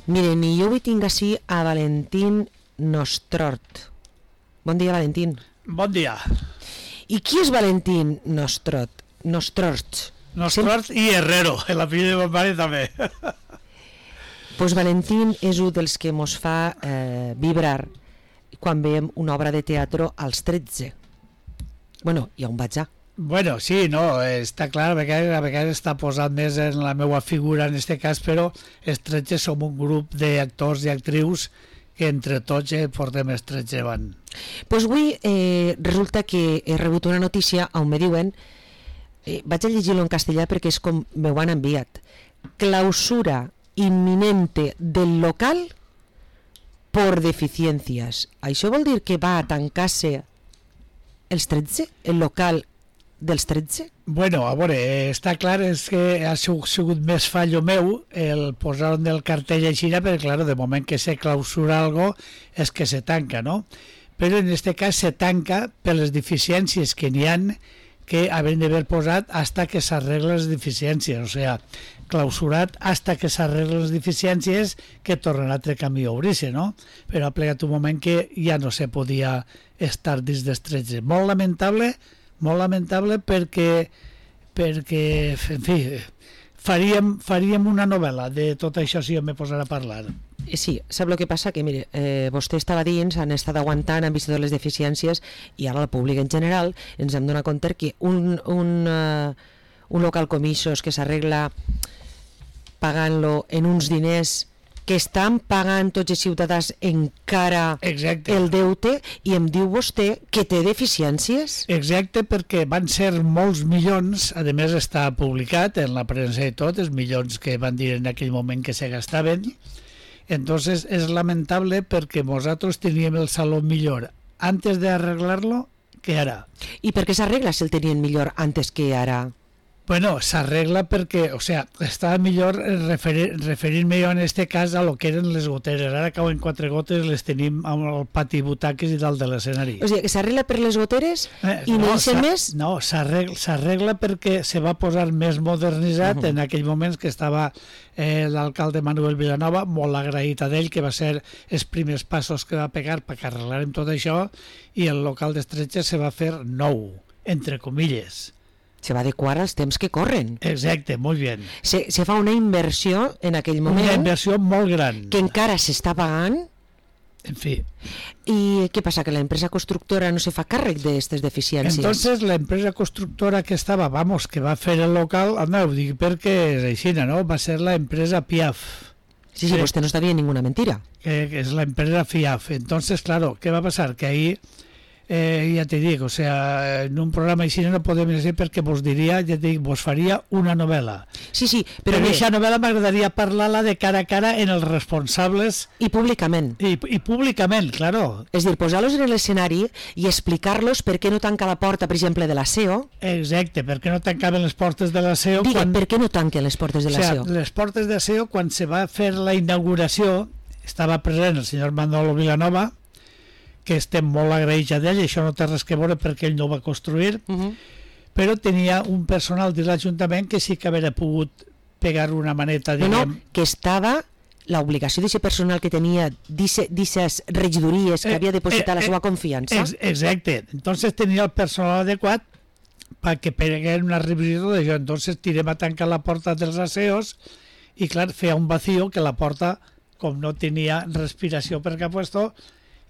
Miren, i jo avui tinc així a Valentín Nostrort. Bon dia, Valentín. Bon dia. I qui és Valentín Nostrort? Nostrort I Herrero, l'apellido de mon pare també. Pues Valentín és un dels que mos fa vibrar quan veiem una obra de teatre als 13. Bueno, i on vaig ja? Bueno, sí, no, està clar, a vegades està posat més en la meva figura en este cas, però els 13 som un grup d'actors i actrius que entre tots portem els 13 van. Pues avui resulta que he rebut una notícia on me diuen, vaig a llegir-lo en castellà perquè és com me ho han enviat, clausura inminente del local por deficiencias. Això vol dir que va a tancar-se els 13, el local dels 13? Bueno, a veure, està clar, és que ha sigut més fallo meu el posar del cartell així, perquè, clar, de moment que se clausura algo és que se tanca, no? Però en este cas se tanca per les deficiències que n'hi han que haven d'haver posat hasta que s'arreglen les deficiències, o sigui, clausurat hasta que s'arreglen les deficiències que tornen a altre camí a obrir-se, no? Però ha plegat un moment que ja no se podia estar dins dels 13. Molt lamentable perquè en fi, faríem una novel·la de tot això si jo me posara a parlar. Sí, sap el que passa? Que mire, vostè estava dins, han estat aguantant, han vist totes les deficiències i ara el públic en general ens hem donat compte que un local com ixos que s'arregla pagant-lo en uns diners que estan pagant tots els ciutadans encara el deute i em diu vostè que té deficiències? Exacte, perquè van ser molts milions, a més està publicat en la premsa i tot, els milions que van dir en aquell moment que se gastaven. Entonces és lamentable perquè nosaltres teníem el saló millor antes de arreglarlo que ara. I per què s'arregla si el tenien millor antes que ara? Bueno, s'arregla perquè, o sea, estava millor referint-me jo en este cas a lo que eren les goteres. Ara cauen 4 gotes, les tenim al pati butaques i dalt de l'escenari. O sigui, que s'arregla per les goteres i no hi més? No, s'arregla perquè se va posar més modernitzat en aquell moments que estava l'alcalde Manuel Vilanova, molt agraït a ell, que va ser els primers passos que va pegar perquè arreglarem tot això, i el local d'Estretxa se va fer nou, entre comilles. Se va adequar als temps que corren. Exacte, molt bé. Se fa una inversió en aquell moment... Una inversió molt gran. Que encara s'està pagant. En fi. I què passa? Que la empresa constructora no se fa càrrec d'aquestes deficiències? Entonces, la empresa constructora que estava, que va fer el local, ho dic perquè és així, no? Va ser la empresa Piaf. Sí, vostè no està dient ninguna mentira. Que és la empresa Piaf. Entonces, claro, què va passar? Que ahí... ja te dic, o sea, en un programa així no podem dir perquè vos diria, ja te dic, vos faria una novel·la. Sí, però aquesta novel·la m'agradaria parlar-la de cara a cara en els responsables. I públicament. I públicament, claro. És dir, posar-los en l'escenari i explicar-los per què no tanca la porta, per exemple, de la SEO. Exacte, per què no tancaven les portes de la SEO. Digue, per què no tanquen les portes de la SEO? O sigui, les portes de la SEO, quan se va fer la inauguració, estava present el senyor Manolo Vilanova, que estem molt agraïts a ell, això no té res que veure perquè ell no ho va construir, però tenia un personal de l'Ajuntament que sí que hauria pogut pegar una maneta, diguem... que estava l'obligació d'aquest personal que tenia d'aquestes regidories que havia depositat la seva confiança. Exacte, entonces tenia el personal adequat perquè pegués una revisió d'això, entonces tirem a tancar la porta dels aseos i clar, feia un vacío que la porta, com no tenia respiració per cap puesto,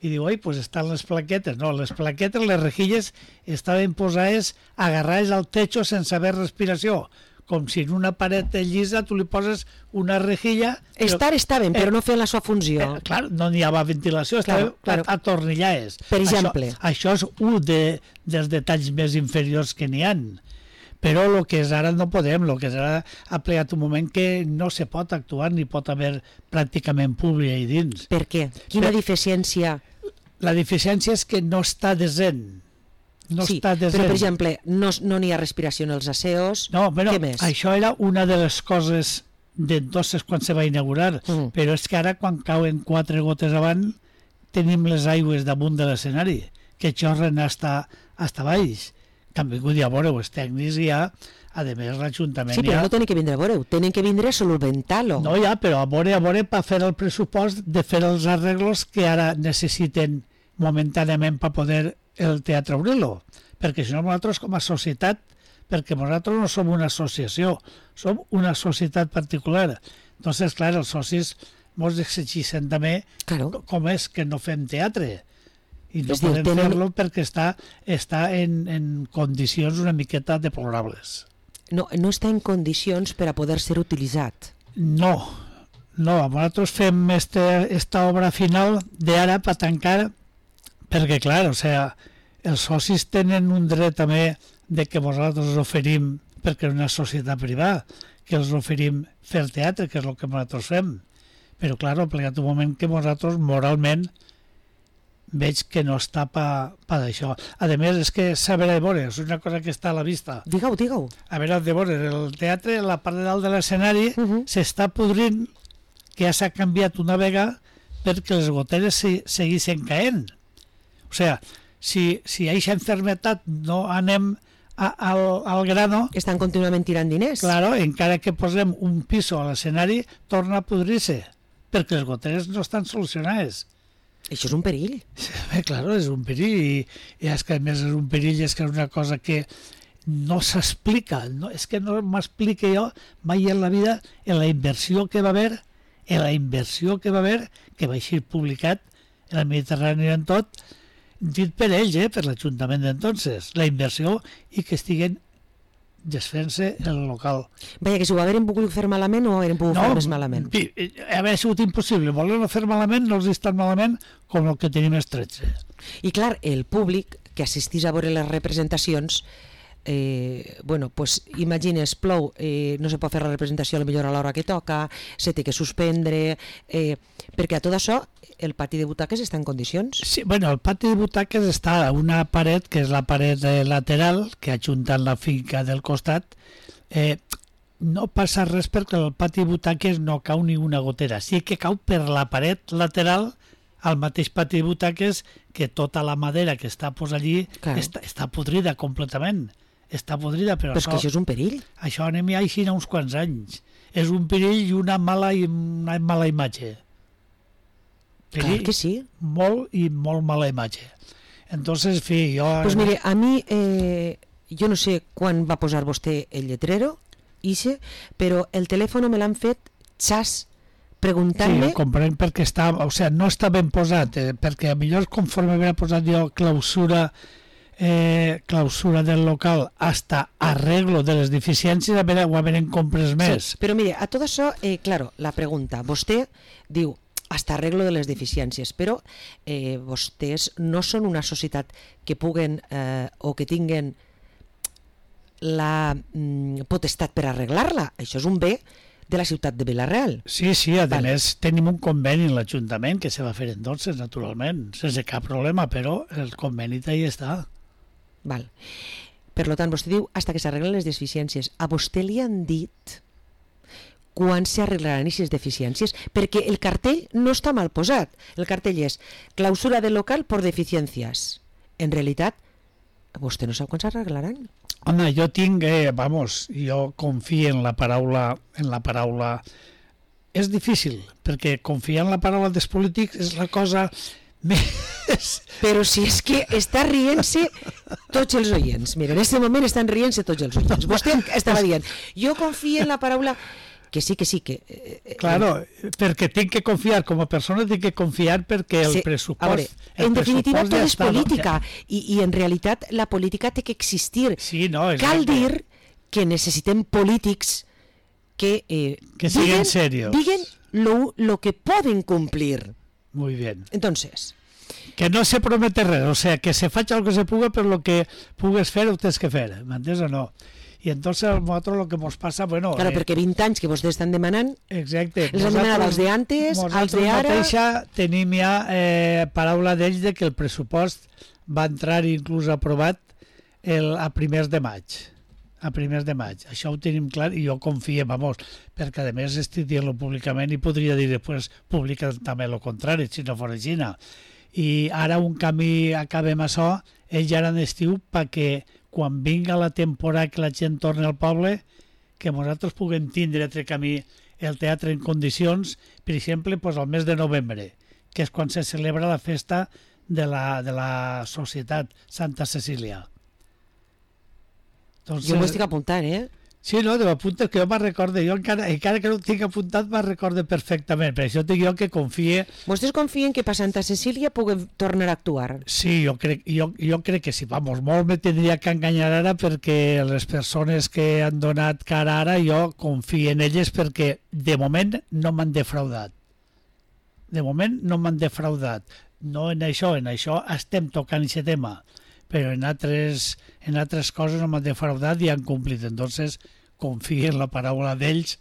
i diu, oi, pues estan les plaquetes. No, les plaquetes, les rejilles estaven posades agarrades al techo sense haver respiració, com si en una paret llisa tu li poses una rejilla... Estaven, però no feien la seva funció. Clar, no n'hi havia ventilació, estaven atornillades. Per exemple. Això és un dels detalls més inferiors que n'hi han. Però el que és ara no podem, el que és ara ha plegat un moment que no se pot actuar ni pot haver pràcticament públic ahí dins. Per què? Quina deficiència? La deficiència és que no està desent. Sí, però per exemple, no n'hi ha respiració en els aseos. No, però què més? Això era una de les coses d'entonces quan se va inaugurar, però és que ara quan cauen 4 gotes avant tenim les aigües damunt de l'escenari, que xorren hasta baix. Que han vingut ja a veure els tècnics i ja A més, l'Ajuntament Sí, però no tenen que vindre a veure-ho, tenen que vindre a solventar-lo. No, ja, però a veure per fer el pressupost de fer els arreglos que ara necessiten momentàniament per poder el teatre obrir-lo. Perquè si no, nosaltres com a societat, perquè nosaltres no som una associació, som una societat particular. Entonces, clar, els socis ens exigeixen també com és que no fem teatre. I no podem fer-lo perquè està en condicions una miqueta deplorables. No està en condicions per a poder ser utilitzat. No, nosaltres fem esta obra final d'ara per tancar, perquè clar, els socis tenen un dret també de que nosaltres oferim, perquè és una societat privada, que els oferim fer teatre, que és el que nosaltres fem. Però clar, ha plegat un moment que nosaltres moralment veig que no està per això. A més, és que saber de veure, és una cosa que està a la vista. Digue-ho. A veure, de veure, el teatre, la part de dalt de l'escenari, s'està podrint, que ja s'ha canviat una vegada perquè les goteres seguissin caent. O sigui, si hi ha enfermetat no anem al grano... Estan contínuament tirant diners. Claro, encara que posem un piso a l'escenari, torna a podrir-se, perquè les goteres no estan solucionades. Això és un perill. Claro, és un perill, i és que a més és un perill, és que és una cosa que no s'explica, no, és que no m'explica jo mai en la vida en la inversió que va haver, que va així publicat en el Mediterrani en tot, dit per ells, per l'Ajuntament d'entonces, la inversió i que estiguen desfent-se el local. Vaja, que si ho hagueren pogut fer malament o ho hagueren pogut fer més malament. Havia sigut impossible. Voler-ho fer malament no els és tan malament com el que tenim els 13. I clar, el públic que assistís a veure les representacions, pues imagines, plou, no se pot fer la representació potser a l'hora que toca, se té que suspendre, perquè a tot això el pati de butaques està en condicions? Sí, el pati de butaques està a una paret, que és la paret lateral, que ajuntant la finca del costat, no passa res perquè el pati de butaques no cau ni una gotera. Sí que cau per la paret lateral al mateix pati de butaques, que tota la madera que està allí està podrida completament. Està podrida, però és que això és un perill. Això anem ja així uns quants anys. És un perill i una mala imatge. Clar que sí. Molt i molt mala imatge. Entonces, fi, jo... Pues mire, a mi, jo no sé quan va posar vostè el lletrero, però el telèfon me l'han fet xas preguntant-me... Sí, ho comprenc perquè no està ben posat, perquè millor conforme havia posat jo clausura del local hasta arreglo de les deficiències, ho haveren compres més. Sí, però mire, a tot això, claro, la pregunta, vostè diu hasta arreglo de les deficiències, però vostès no són una societat que puguen o que tinguen la potestat per arreglar-la. Això és un bé de la ciutat de Vila-real. Sí, a més tenim un conveni en l'Ajuntament que se va fer entonces, naturalment, sense cap problema, però el conveni ahí està. Val. Per tant, vostè diu hasta que s'arreglen les deficiències. A vostè li han dit quan s'arreglaran aquestes deficiències? Perquè el cartell no està mal posat. El cartell és clausura del local por deficiencias. En realitat, vostè no sap quan s'arreglaran? Home, jo tinc, jo confio en la paraula... És difícil, perquè confiar en la paraula dels polítics és la cosa més... Però si és que està rient-se tots els oients. Mira, en aquest moment estan rient-se tots els oients. Vostè estava dient, jo confio en la paraula... Que sí. Claro, perquè tinc que confiar, com a persona tinc que confiar perquè el pressupost... Veure, en definitiva tot és política i en realitat la política té que existir. Sí, no, cal dir que necessitem polítics que siguen serios. Diguen lo que poden cumplir. Muy bien. Entonces... Que no se promete res, o sea, que se faig el que se puga, però el que pugues fer ho tens que fer, m'entens o no? I entonces a nosaltres el que ens passa... Claro, perquè 20 anys que vostès estan demanant... Exacte. Els han demanat als d'antes, als d'ara... Nosaltres tenim ja paraula d'ells de que el pressupost va entrar inclús aprovat a primers de maig. Això ho tenim clar i jo confio, perquè a més estic dient-lo públicament i podria dir després públicament també el contrari, si no fos així. I ara un camí acabem això, ells ja en estiu perquè quan vinga la temporada que la gent torni al poble, que nosaltres puguem tindre entre camí el teatre en condicions, per exemple, doncs al mes de novembre, que és quan se celebra la festa de la Societat Santa Cecília. Entonces, jo m'ho estic apuntant, Sí, no, te m'apuntes, que jo me'n recorde, jo encara que no ho tinc apuntat me'n recorde perfectament, per això dic jo que confie... Vostès confien que per Santa Cecília puguem tornar a actuar? Sí, jo crec que sí, vamos, molt me tindria que enganyar ara perquè les persones que han donat cara ara, jo confio en elles perquè de moment no m'han defraudat. De moment no m'han defraudat. No en això estem tocant aquest tema, però en altres coses no m'han defraudat i han complit. Entonces, confio en la paraula d'ells,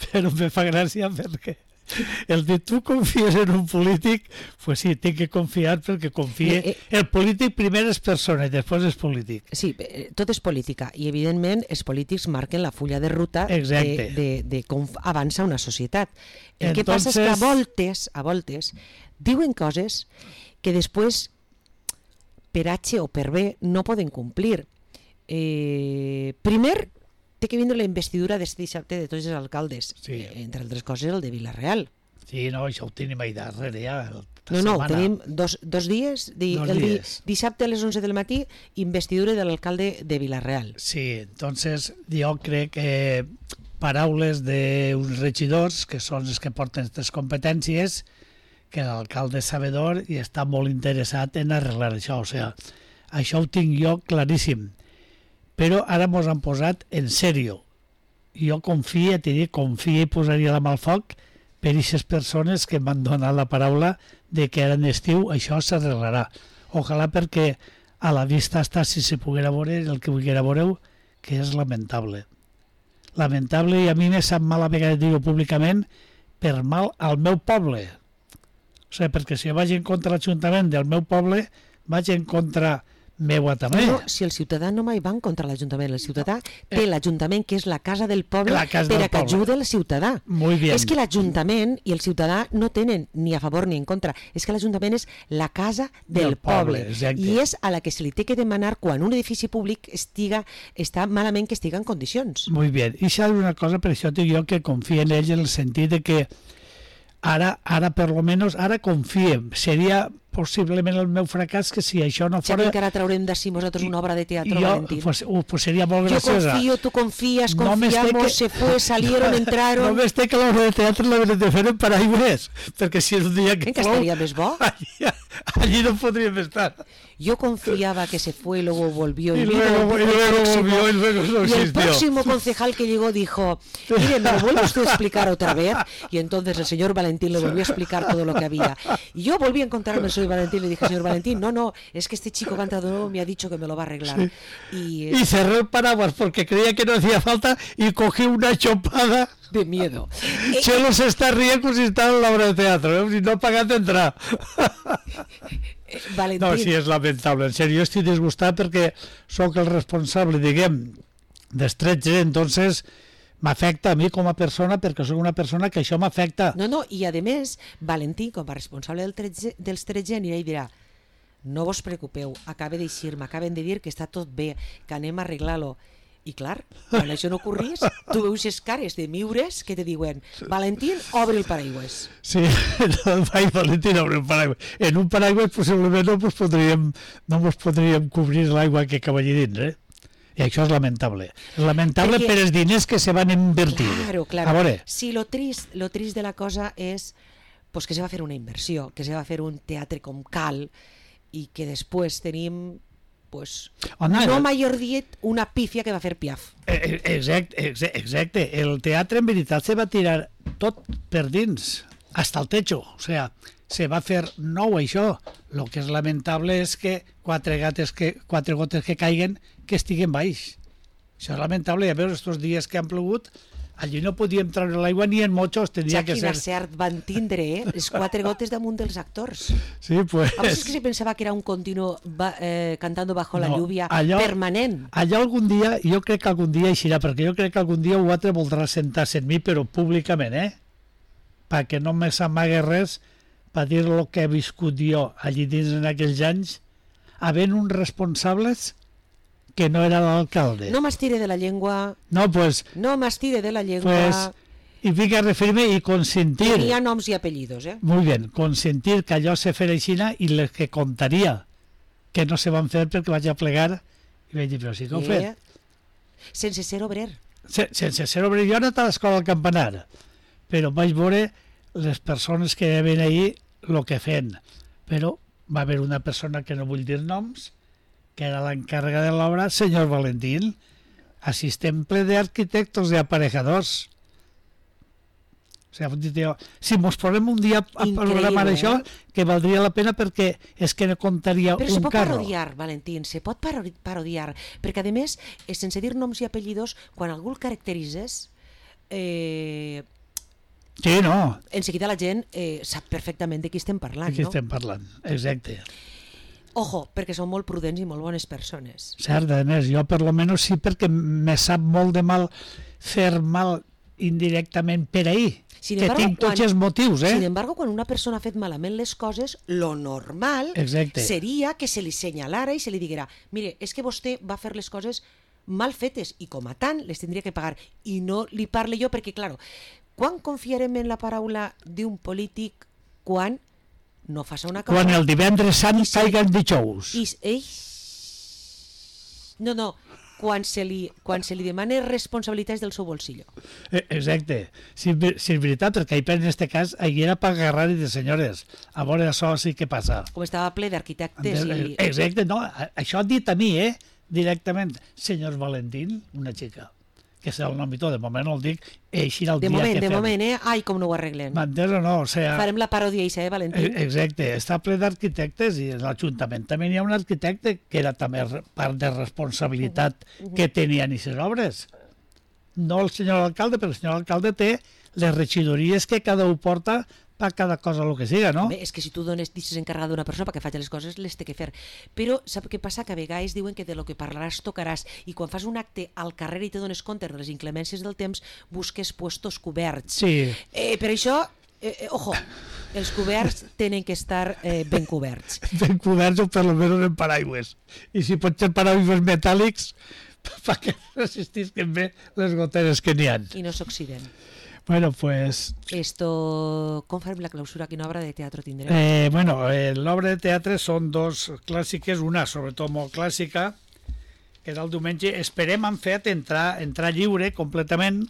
però me fa gràcia perquè el de tu confies en un polític, pues sí, tinc que confiar perquè confie... El polític primer és persona i després és polític. Sí, tot és política i evidentment els polítics marquen la fulla de ruta de com avança una societat. El que passa és que a voltes diuen coses que després per H o per B no poden complir. Primer, té que vindre la investidura d'aquest dissabte de tots els alcaldes, entre altres coses el de Vila-real. Sí, no, això ho tenim ahí darrere ja. No, tenim dos dies, dissabte a les 11 del matí, investidura de l'alcalde de Vila-real. Sí, entonces jo crec que paraules d'uns regidors, que són els que porten aquestes competències, que l'alcalde és sabedor i està molt interessat en arreglar això. O sigui, això ho tinc jo claríssim. Però ara mos han posat en sèrio. Jo confio i posaria la mà al foc per aquestes persones que m'han donat la paraula de que ara en estiu això s'arreglarà. Ojalà perquè a la vista està, si se poguera veure, el que volguera veureu, que és lamentable. Lamentable, i a mi me sap mal a vegades dir-ho públicament, per mal al meu poble. O sigui, perquè si jo vaig en contra l'Ajuntament del meu poble, vaig en contra meua també. No, si el ciutadà no mai va en contra l'Ajuntament, el ciutadà té l'Ajuntament, que és la casa del poble, per a que ajude el ciutadà. És que l'Ajuntament i el ciutadà no tenen ni a favor ni en contra, és que l'Ajuntament és la casa del poble, i és a la que se li té que demanar quan un edifici públic està malament que estiga en condicions. Molt bé, i això és una cosa, per això dic jo que confio en ell en el sentit de que ara per lo menos, ara confiem. Seria possiblement el meu fracàs que si això no fora... Ja que encara traurem d'ací nosaltres una obra de teatre, Valentín. Pues seria molt graciosa. Yo confío, tú confías, confiamos, se fue, salieron, entraron... Només té que l'obra de teatre l'haurem de fer en paraigües, perquè si és un dia que plou... estaria més bo? Allí no podríem estar. Yo confiaba que se fue, luego volvió. Y luego volvió y luego no existió. Y el próximo concejal que llegó dijo, mire, ¿me lo vuelve usted a explicar otra vez? Y entonces el señor Valentín le volvió a explicar todo lo que había. Y yo volví a encontrarme al señor Valentín y le dije, señor Valentín, no, es que este chico cantado nuevo me ha dicho que me lo va a arreglar. Sí. Y cerró el paraguas porque creía que no hacía falta y cogió una chopada. De miedo. Chelo se está riendo si está en la obra de teatro, si no ha pagat d'entrar. Valentín. No, sí, és lamentable. En sèrio, jo estic disgustat perquè sóc el responsable, diguem, dels 13, entonces m'afecta a mi com a persona perquè sóc una persona que això m'afecta. No, i a més, Valentín, com a responsable dels 13, anirà i dirà, no vos preocupeu, acaba d'eixir, m'acaben de dir que està tot bé, que anem a arreglar-lo. I clar, quan això no ocorrís, tu veus les cares de miures que te diuen Valentín, obre el paraigües. Sí, Valentín, obre el paraigües. En un paraigües possiblement no ens podríem cobrir l'aigua que acaba allà dins, I això és lamentable. És lamentable per els diners que se van invertir. Claro. A veure. Sí, lo trist de la cosa és pues, que se va fer una inversió, que se va fer un teatre com cal i que després tenim... pues, no major dit una pífia que va fer Piaf. Exacte. El teatre en veritat se va tirar tot per dins, hasta el techo. O sea, se va fer nou això. El que és lamentable és que quatre gotes que caiguen que estiguen baix. Això és lamentable. I a veure, estos dies que han plogut, allí no podíem treure l'aigua ni en motxos, tenia que ser... Quina cert van tindre, les 4 gotes damunt dels actors. Sí, pues... A vegades que se pensava que era un continu cantando bajo la lluvia permanent. Allò algun dia, jo crec que algun dia eixirà, perquè jo crec que algun dia un altre voldrà sentar-se en mi, però públicament, perquè no me s'amague res per dir el que he viscut jo allí dins en aquells anys, havent uns responsables que no era l'alcalde. No m'estire de la llengua. No, pues... No m'estire de la llengua. Pues, y vinc a referir-me i consentir. Tenia noms i apellidos, Muy bien, consentir que allò se fera aixina i les que contaria que no se van fer perquè vaig a plegar i vaig dir, però sí que ho he fet. Sense ser obrer. Sense ser obrer, jo he anat a l'escola al campanar, però vaig veure les persones que ven ahir el que feien. Però va haver una persona que no vull dir noms, que era l'encàrrega de l'obra, senyor Valentín, asistente de arquitectos de aparejadors. O sigui, si mos posem un dia a programar això, que valdria la pena perquè és que no contaria un carro. Però se pot parodiar, Valentín, se pot parodiar, perquè a més, sense dir noms i apellidos, quan algú el caracteritzes, sí, no. En seguida la gent sap perfectament de qui estem parlant, no? De qui estem parlant, exacte. Ojo, perquè són molt prudents i molt bones persones. Cert, a més, jo per lo menos sí, perquè me sap molt de mal fer mal indirectament per ahir. Sin embargo, que tinc tots els motius, Sin embargo, quan una persona ha fet malament les coses, lo normal seria que se li senyalara i se li diguera, mire, és que vostè va fer les coses mal fetes i com a tant les tindria que pagar. I no li parle jo perquè, clar, quan confiarem en la paraula d'un polític quan no fa una cosa... Quan el divendres sant caiguen dijous. No, quan se li demana responsabilitats del seu bolsillo. Exacte. Sí, és veritat, perquè ahir en aquest cas ahir era per agarrar i dir, senyores, a veure això sí que passa. Com estava ple d'arquitectes i... Exacte, no, això dit a mi, directament. Senyor Valentín, una xica, que serà el nom i tot, de moment no el dic, eixirà el dia que fem. De moment, ai, com no ho arreglen. M'entens o no? O sea, farem la paròdia i Valentín. Exacte, està ple d'arquitectes i l'Ajuntament també hi ha un arquitecte que era també part de responsabilitat que tenien aquestes obres. No el senyor alcalde, però el senyor alcalde té les regidories que cada un porta per cada cosa el que siga, no? Bé, és que si tu deixes encarregat d'una persona perquè faci les coses, les té que fer. Però sap què passa? Que a vegades diuen que de lo que parlaràs tocaràs, i quan fas un acte al carrer i te dones compte de les inclemències del temps, busques puestos coberts. Sí. Per això, ojo, els coberts tenen que estar ben coberts. Ben coberts o per almenys en paraigües. I si pot ser paraigües metàl·lics, perquè resistisquen bé les goteres que n'hi ha. I no s'oxiden. Bueno, pues... Com farem la clausura? Quina obra de teatre tindrem? L'obra de teatre són dos clàssiques, una sobretot molt clàssica, que és el diumenge. Esperem, en fet, entrar lliure completament,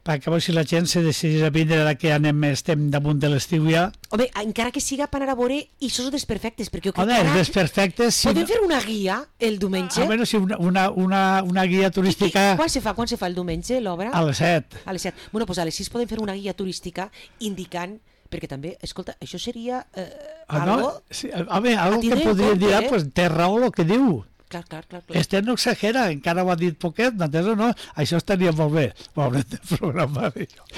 perquè a veure si la gent se decidís a vindre ara que estem damunt de l'estiu ja. Home, encara que siga per anar a veure i sos desperfectes, perquè jo crec que ara... Desperfectes... Podem fer una guia el diumenge? A veure si una guia turística... Quan se fa el diumenge, l'obra? A les 7. A les 7. Bueno, doncs a les 6 podem fer una guia turística indicant, perquè també, escolta, això seria algo... Sí, algo que podria dir, pues té raó el que diu. Clar. Este no exagera, encara ho ha dit poquet, m'entens o no? Això estaria molt bé. Ho haurem de programar.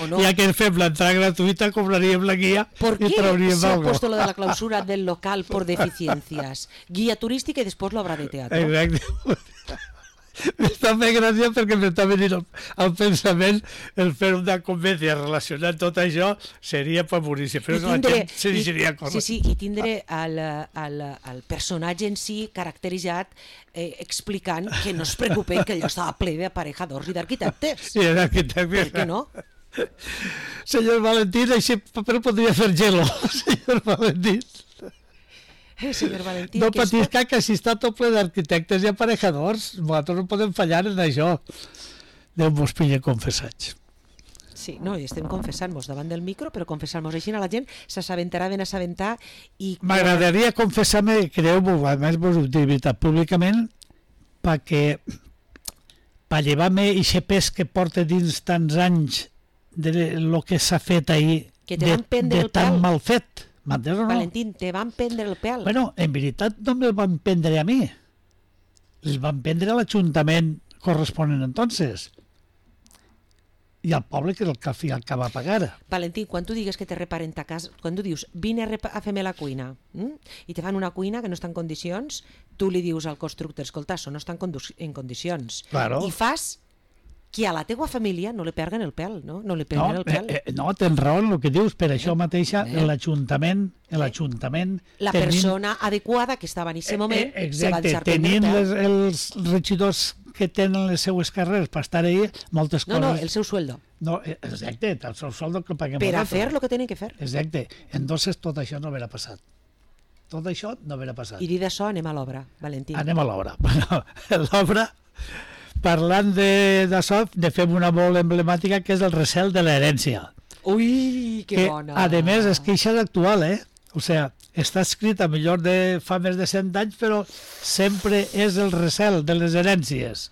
No? Ja que fem l'entrada gratuïta, cobraríem la guia i trauríem se ha puesto lo de la clausura del local por deficiencias? Guia turística i després l'obra de teatre. Exacte. M'està fent gràcia perquè m'està venint al pensament el fer una convència relacionant tot això seria per morir-se, però la gent se deixaria córrer. Sí, i tindre el personatge en si caracteritzat explicant que no es preocupen que allò estava ple d'aparejadors i d'arquitectes. Sí, d'arquitectes. Per què no? Senyor Valentín, així però podria fer gelo, senyor Valentín. Senyor Valentín, no patisca que si està tot ple d'arquitectes i aparejadors, nosaltres no podem fallar en això. Déu mos pilla confessats. Sí, no, estem confessant-nos davant del micro, però confessant-nos així a la gent s'assabentarà ben assabentar i... M'agradaria confessar-me, creu-me, a més vos ho dic veritat públicament, perquè per llevar-me aquest pes que porta dins tants anys de lo que s'ha fet ahir, de tan mal fet. ¿M'entens o no? Valentín, te van prendre el pèl. Bueno, en veritat no me'l van prendre a mi. El van prendre a l'Ajuntament corresponent entonces. I al poble que és el que al final acaba a pagar. Valentín, quan tu digues que te reparen ta casa, quan tu dius vine a fer-me la cuina i te fan una cuina que no està en condicions, tu li dius al constructor, escolta, això no està en condicions. Claro. I fas que a la teua família no li perguen el pèl, no? No li perguen el pèl. No, tens raó en el que dius, per això mateixa l'Ajuntament... La persona adequada que estava en aquest moment se va deixar prendre el pèl. Tenint els regidors que tenen les seues carreres per estar ahí, moltes coses... No, el seu sueldo. No, exacte, el seu sueldo que paguem per a fer el que tenen que fer. Exacte. Entonces tot això no haurà passat. Tot això no haurà passat. I dit això, anem a l'obra, Valentín. Anem a l'obra. L'obra, parlant d'això, ne fem una molt emblemàtica, que és el recel de l'herència. Ui, que bona! A més, és que això és actual, O sigui, està escrit a millor de fa més de 100 anys, però sempre és el recel de les herències.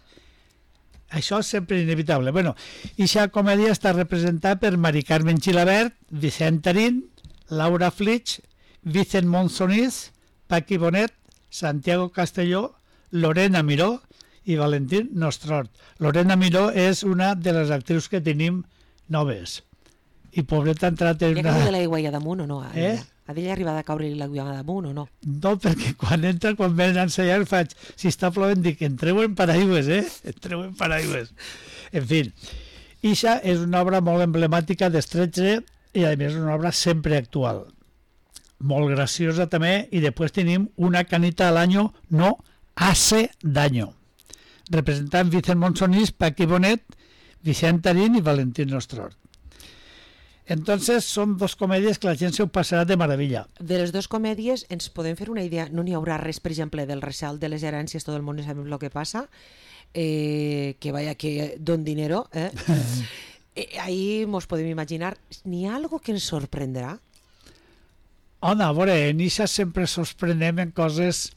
Això és sempre inevitable. Bueno, aquesta comèdia està representada per Mari Carmen Gilabert, Vicent Tarín, Laura Flitsch, Vicent Monsonís, Paqui Bonet, Santiago Castelló, Lorena Miró i Valentín Nostrort. Lorena Miró és una de les actrius que tenim noves. I pobreta ha entrat en una... Ja que de l'aigua ja damunt o no? Ha d'ella arribar a caure l'aigua damunt o no? No, perquè quan venen a ensenyar faig, si està plovent, dic, entreu en paraigües, entreu en paraigües. En fi, ixa és una obra molt emblemàtica d'Estretxe i a més una obra sempre actual. Molt graciosa també, i després tenim Una canita al año no hace daño, representant Vicent Monsonís, Paqui Bonet, Vicent Tarín i Valentín Nostrort. Entonces son dos comèdies que la gent se ho passarà de meravella. De les dues comèdies ens podem fer una idea, no n'hi haurà res, per exemple, del resalt de les herències, tot el món sabem el que passa, que vaya que don dinero, ahí mos podem imaginar, n'hi ha algo que ens sorprendrà? Home, a veure, en Ixa sempre sorprenem en coses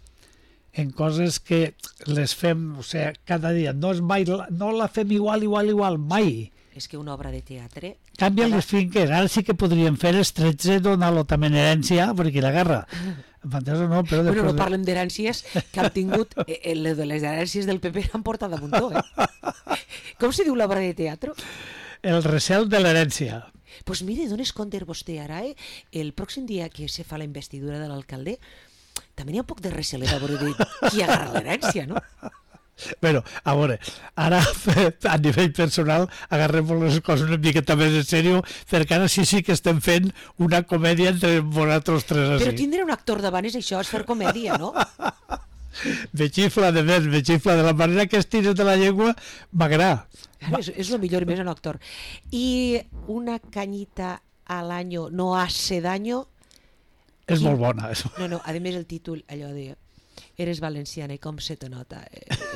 que les fem, o sigui, cada dia. No la fem igual, mai. És que una obra de teatre... Canvia les finques. Ara sí que podríem fer Estretxe, donar-lo també en herència, perquè la garra. No, però bueno, no parlem d'herències, que han tingut... Les herències del PP han portat a muntó, Com se diu l'obra de teatre? El recel de l'herència. Pues mire, dones compte vostè ara, el pròxim dia que se fa la investidura de l'alcalde, també hi ha un poc de recelera a veure qui agarra l'herència, no? Bueno, a veure, ara a nivell personal agarrem les coses una miqueta més en sèrio, perquè ara sí que estem fent una comèdia entre vosaltres tres així. Però tindre un actor davant és això, és fer comèdia, no? Me xifla de la manera que estires de la llengua m'agrada. És el millor i més un actor. I Una cañita al año no hace daño... És molt bona. No, a més el títol, allò de... Eres valenciana y cómo se te nota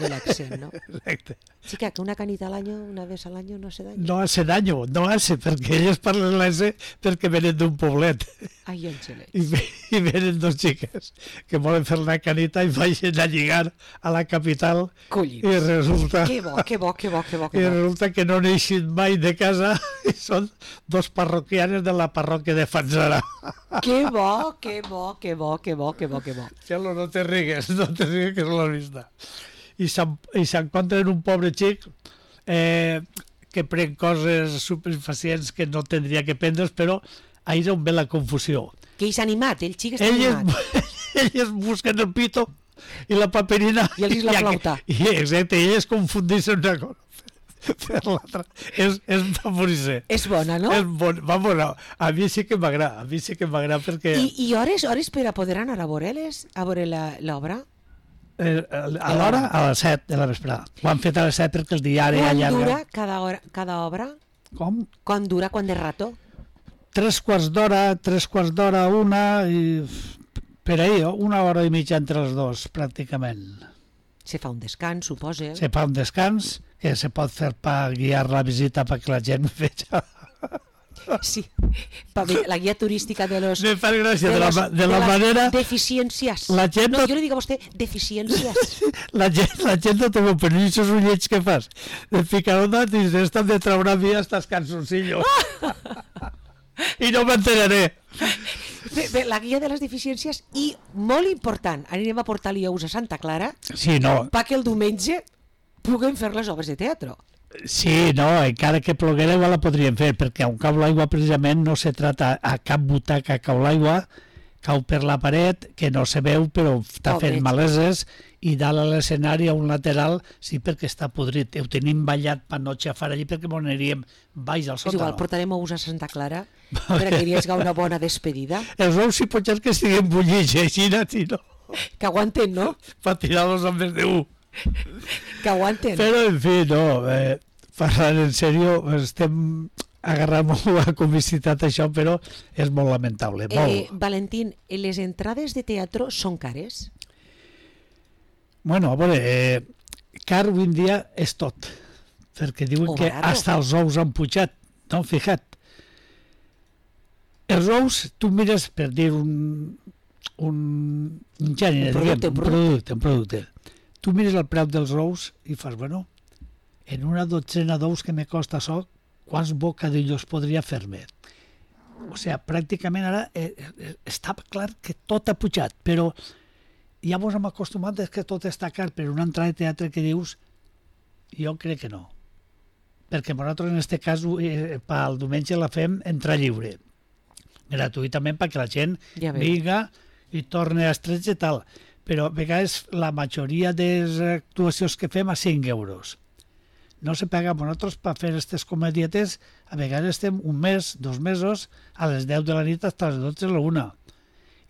el accent, ¿no? Exacte. Sí que una canita al año, una vez al año, no hace daño. No hace daño, perquè ells parlen l'S perquè venen d'un poblet. Ai, Àngela. I venen dos xiques que volen fer una canita i vagin a lligar a la capital. Collins. I resulta... Que bo. I resulta que no n'eixin mai de casa i són dos parroquianes de la parròquia de Fanzara. Que bo. Xelo, no te rigues que no l'has vista. I s'encontren un pobre xic que pren coses superfacients que no tindria que prendre's, però ahí és on ve la confusió. Que és animat, el xic està animat. Ells busquen el pito i la paperina. I ells la flauta. Exacte, i ells confundeixen una cosa per l'altra. És favorisser. És bona, no? És bona. Vamos, a mi sí que m'agrada, perquè... I hores per a poder anar a veure l'obra? A l'hora, a les 7 de la vesprada. Ho han fet a les 7 perquè el diari allarga. Quan dura cada obra? Com? Quan dura, quan de rato? 3/4 d'hora, una, i per ahir, 1 hora i mitja entre els dos, pràcticament. Se fa un descans, suposa. Se fa un descans, que se pot fer per guiar la visita perquè la gent veja. Sí, la guia turística de los... Me fa gràcia de la manera... Deficiències. La gent no, jo li dic a vostè, deficiències. La gent no té però i aquests ullets que fas. De picarona, dius, de traure a mi estàs cansoncillo. I no m'enteraré. Bé, la guia de les deficiències i, molt important, anirem a portar-li ous a Santa Clara perquè el diumenge puguem fer les obres de teatre. Sí, no, encara que ploguera igual la podríem fer, perquè on cau l'aigua precisament no se trata a cap butaca cau l'aigua, cau per la paret, que no se veu però està fent maleses i dalt a l'escenari a un lateral sí perquè està podrit, ho tenim ballat per no xafar allí perquè m'ho aniríem baix al És igual, sòtano. portarem ous a Santa Clara perquè hi hagi una bona despedida. Els ous sí pot ser que estiguin bullits, així, si no, Que aguanten, no? per tirar-los amb més d'1. Que aguanten. Però, en fi, no, parlant en sèrio, estem agarrant molt la comicitat això, però és molt lamentable, molt. Valentín, les entrades de teatre són cares? Bueno, a veure, car avui en dia és tot, perquè diuen que barato. hasta els ous han pujat, no? Fija't. Els ous, tu mires per dir un gènere, un producte. Tu mires el preu dels ous i fas, bueno, en una dotzena d'ous que me costa això, quants bocadillos podria fer-me? O sigui, pràcticament ara està clar que tot ha pujat, però ja ens hem acostumat que tot està car, però una entrada de teatre que dius, jo crec que no. Perquè nosaltres en aquest cas pel diumenge la fem entrar lliure, gratuïtament perquè la gent vinga i torni a estrets i tal. Però a vegades la majoria de les actuacions que fem a 5 euros. No se paga, nosaltres per fer aquestes comedietes a vegades estem un mes, 2 mesos, a les 10 de la nit fins a les 12 de la 1.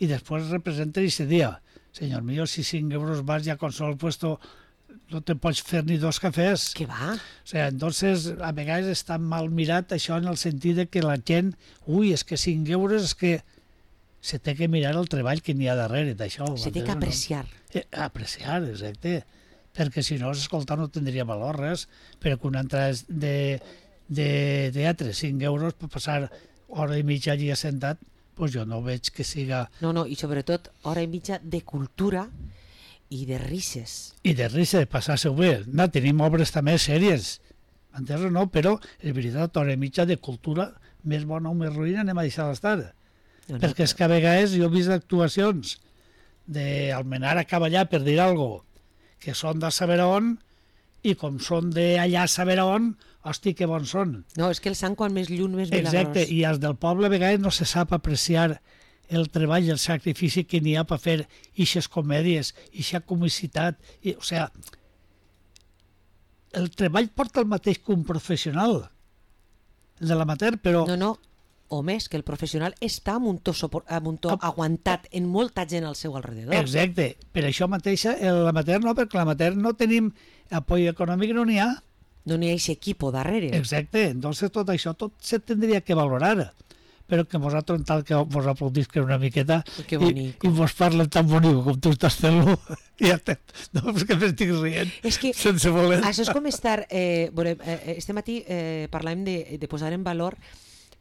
I després representen aquest dia. Señor mío, si 5 euros vas ya con solo el puesto, no te pots fer ni 2 cafès. Què va? O sea, entonces, a vegades està mal mirat això en el sentit de que la gent, ui, és que 5 euros és que se té que mirar el treball que n'hi ha darrere d'això. Se té que apreciar. No? Apreciar, exacte. Perquè si no, escoltar, no tindria valor res, però que una entrada de teatre, 5 euros per passar hora i mitja allí assentat, pues jo no veig que siga... No, i sobretot hora i mitja de cultura i de risses. I de risses, de passar-se-ho bé. No, tenim obres també sèries, entès o no? Però és veritat, hora i mitja de cultura, més bona o més ruïna, anem a deixar d'estar. Perquè és que a vegades jo he vist actuacions d'Almenar a Cavallà, per dir alguna cosa, que són de saber on, i com són d'allà a saber on, hosti, que bons són. No, és que el sang quan més lluny més milagrós. Exacte, i els del poble a vegades no se sap apreciar el treball i el sacrifici que n'hi ha per fer ixes comèdies, ixa comicitat. O sigui, el treball porta el mateix que un professional, el de l'amateur, però... No, o més, que el professional està amb un to aguantat en molta gent al seu alrededor. Exacte, per això mateixa l'amateur no, perquè l'amateur no tenim apoyo econòmic, no n'hi ha. No n'hi ha aquest equip darrere. Exacte, entonces tot això tot se tindria que valorar, però que vosaltres tal que vos aplaudisquen una miqueta i vos parlen tan bonic com tu estàs fent-lo, no, és que m'estic rient, sense voler. Això és com estar... Este matí parlàvem de posar en valor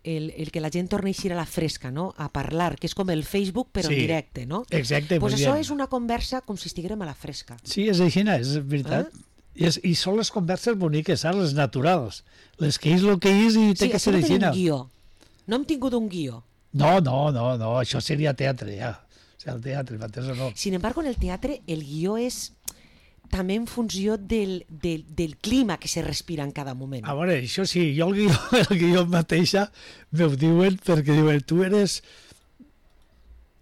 el que la gent torni a eixir a la fresca, no? A parlar, que és com el Facebook però en directe, no? Exacte. Pues això és una conversa com si estiguérem a la fresca. Sí, és així, és veritat. I són les converses boniques, les naturals, les que és el que és i té que ser així. Sí, això no tenim guió. No hem tingut un guió. No, això seria teatre, ja. O sigui, el teatre, m'entens o no? Sin embargo, en el teatre el guió és també en funció del clima que se respira en cada moment. A veure, això sí, jo el guió mateixa m'ho diuen perquè diuen, tu eres...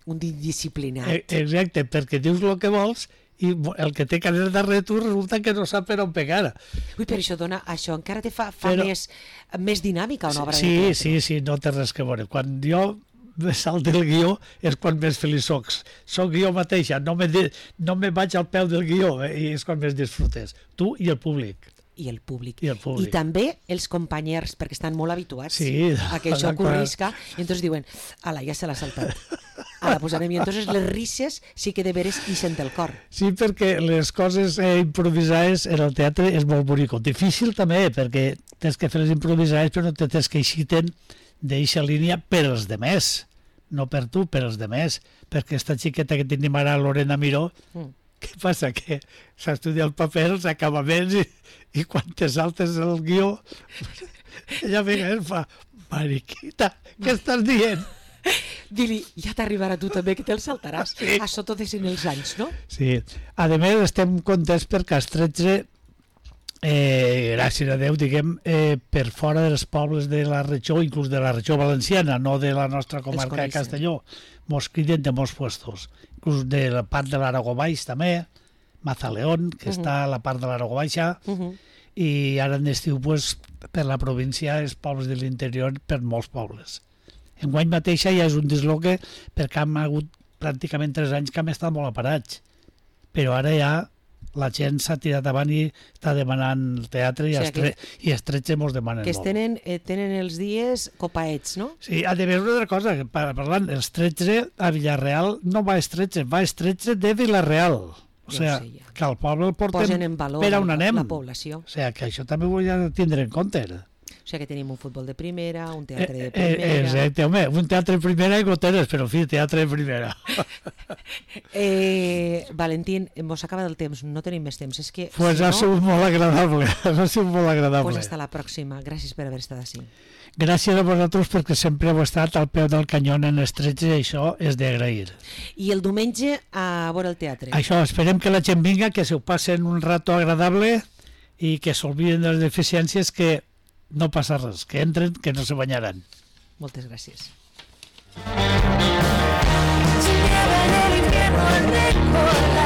Un indisciplinat. Exacte, perquè dius el que vols i el que té caner darrere tu resulta que no sap per on pegar. Ui, però això encara te fa més dinàmica una obra de teatre. Sí, no té res que veure. Quan jo me salto el guió és quan més feliç soc. Soc jo mateixa, no me vaig al peu del guió i és quan més disfrutes. Tu i el públic. I el públic. I també els companys, perquè estan molt habituats a que això ocorrisca, i entonces diuen, ala, ja se l'ha saltat. Ara posarem, i entonces les risses sí que de veres ixen del cor. Sí, perquè les coses improvisades en el teatre és molt bonic. Difícil també, perquè tens que fer les improvisades però no tens que eixiten d'eixa línia per als demés. No per tu, per als demés, perquè aquesta xiqueta que tenim ara, Lorena Miró, què passa? Que s'estudia el paper, els acabaments, i quan te saltes el guió, ella vegades fa, mariquita, què estàs dient? Dili, ja t'arribarà tu també, que te'l saltaràs. Sí. Això tot és en els anys, no? Sí. A més, estem contents perquè els 13, gràcies a Déu, diguem, per fora dels pobles de la regió, inclús de la regió valenciana, no de la nostra comarca de Castelló, mos criden de molts puestos, inclús de la part de l'Aragó Baix també, Mazaleón, que està a la part de l'Aragó Baixa, i ara en estiu, pues, per la província, els pobles de l'interior, per molts pobles. Enguany mateixa ja és un disloque perquè hem hagut pràcticament 3 anys que hem estat molt aparats, però ara ja la gent s'ha tirat avant i està demanant teatre i, o sigui, i els 13 mos demanen molt. Que tenen els dies copaets, no? Sí, ha d'haver una altra cosa, parlant, els 13 a Villarreal no va els 13, va els 13 de Villarreal. O sigui, que al poble el portem per on anem. La població. O sigui, que això també ho he de tindre en compte. O sigui que tenim un futbol de primera, un teatre de primera... Exacte, home, un teatre de primera i goteres, però en fi, teatre de primera. Valentín, mos acaba el temps, no tenim més temps. És que, pues ha sigut molt agradable, Pues hasta la pròxima, gràcies per haver estat així. Gràcies a vosaltres perquè sempre heu estat al peu del canyó en els 13 i això és d'agrair. I el diumenge a veure el teatre. Això, esperem que la gent vinga, que se ho passen un rato agradable i que s'olviden de les deficiències, que no passa res, que entren, que no se banyaran. Moltes gràcies. Si nieva en el invierno, recuerda.